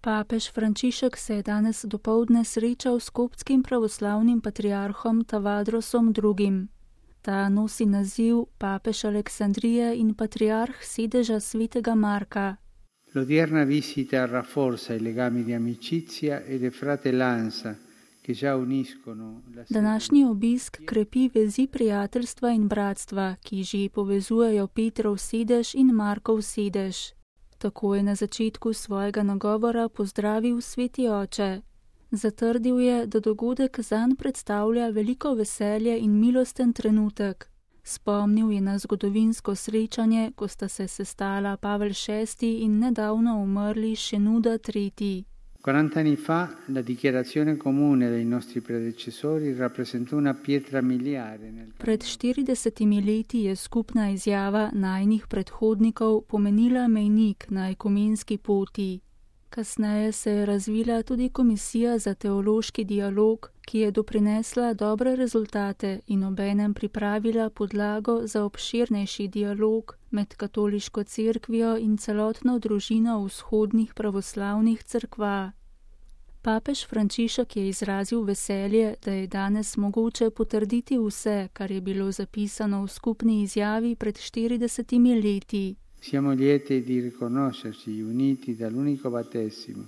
Papež Frančišek se je danes dopoldne srečal s koptskim pravoslavnim patriarhom Tavadrosom II. Ta nosi naziv papež Aleksandrije in patriarh sedeža svetega Marka. L'odierna visita rafforza i legami di amicizia e di fratellanza che già uniscono la Današnji obisk krepi vezi prijateljstva in bratstva, ki že povezujejo Petrov sedež in Markov sedež. Tako je na začetku svojega nagovora pozdravil sveti oče. Zatrdil je, da dogodek zanj predstavlja veliko veselje in milosten trenutek. Spomnil je na zgodovinsko srečanje, ko sta se sestala Pavel VI in nedavno umrli Šenuda III. 40 anni fa la dichiarazione comune dei nostri predecessori rappresentò una pietra miliare nel Pred 40 leti je skupna izjava najinih predhodnikov pomenila mejnik na ekumenski poti. Kasneje se je razvila tudi Komisija za teološki dialog, ki je doprinesla dobre rezultate in obenem pripravila podlago za obširnejši dialog med katoliško cerkvijo in celotno družino vzhodnih pravoslavnih cerkva. Papež Frančišek je izrazil veselje, da je danes mogoče potrditi vse, kar je bilo zapisano v skupni izjavi pred 40 leti. Siamo lieti di riconoscerci uniti dall'unico battesimo,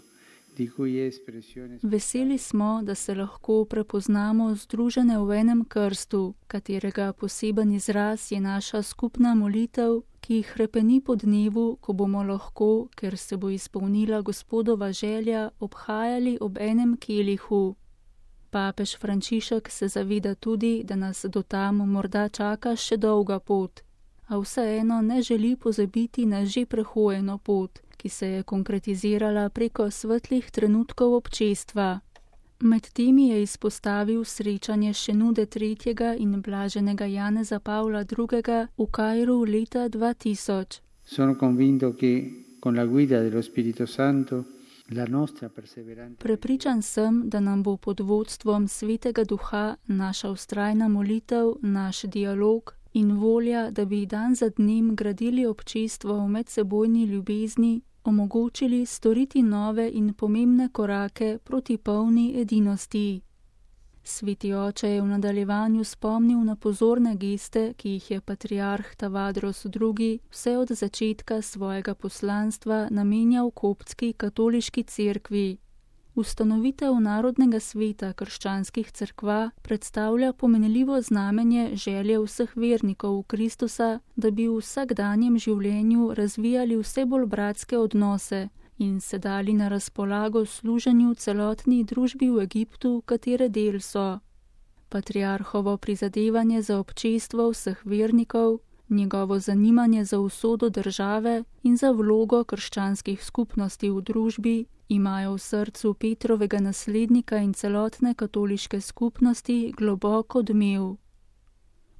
di cui è espressione. Veseli smo, da se lahko prepoznamo združene v enem krstu, katerega poseben izraz je naša skupna molitev, ki hrepeni po dnevu, ko bomo lahko, ker se bo izpolnila Gospodova želja, obhajali ob enem kelihu. Papež Frančišek se zaveda tudi, da nas do tam morda čaka še dolga pot, a vseeno ne želi pozabiti na že prehojeno pot, ki se je konkretizirala preko svetlih trenutkov občestva. Med temi je izpostavil srečanje Šenude III. In blaženega Janeza Pavla II. V Kairu leta 2000. Sono convinto che con la guida dello Spirito Santo la nostra perseveranza. Prepričan sem, da nam bo pod vodstvom Svetega Duha naša vztrajna molitev, naš dialog in volja, da bi dan za dnem gradili občestvo v medsebojni ljubezni, omogočili storiti nove in pomembne korake proti polni edinosti. Sveti oče je v nadaljevanju spomnil na pozorne geste, ki jih je patriarh Tavadros II. Vse od začetka svojega poslanstva namenjal koptski katoliški cerkvi. Ustanovitev Narodnega sveta krščanskih cerkva predstavlja pomenljivo znamenje želje vseh vernikov v Kristusa, da bi v vsakdanjem življenju razvijali vse bolj bratske odnose in se dali na razpolago služenju celotni družbi v Egiptu, katere del so. Patriarhovo prizadevanje za občestvo vseh vernikov, njegovo zanimanje za usodo države in za vlogo krščanskih skupnosti v družbi imajo v srcu Petrovega naslednika in celotne katoliške skupnosti globok odmev.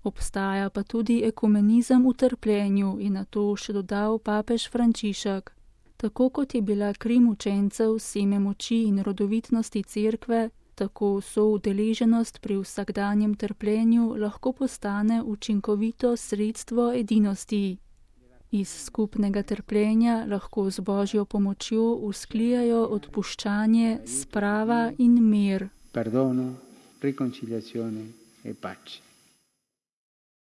Obstaja pa tudi ekumenizem v trpljenju, in na to še dodal papež Frančišek. Tako kot je bila kri mučencev seme moči in rodovitnosti cerkve, tako so udeleženost pri vsakdanjem trpljenju lahko postane učinkovito sredstvo edinosti. Iz skupnega trpljenja lahko z Božjo pomočjo vzklijajo odpuščanje, sprava in mir. Perdono, riconciliazione e pace.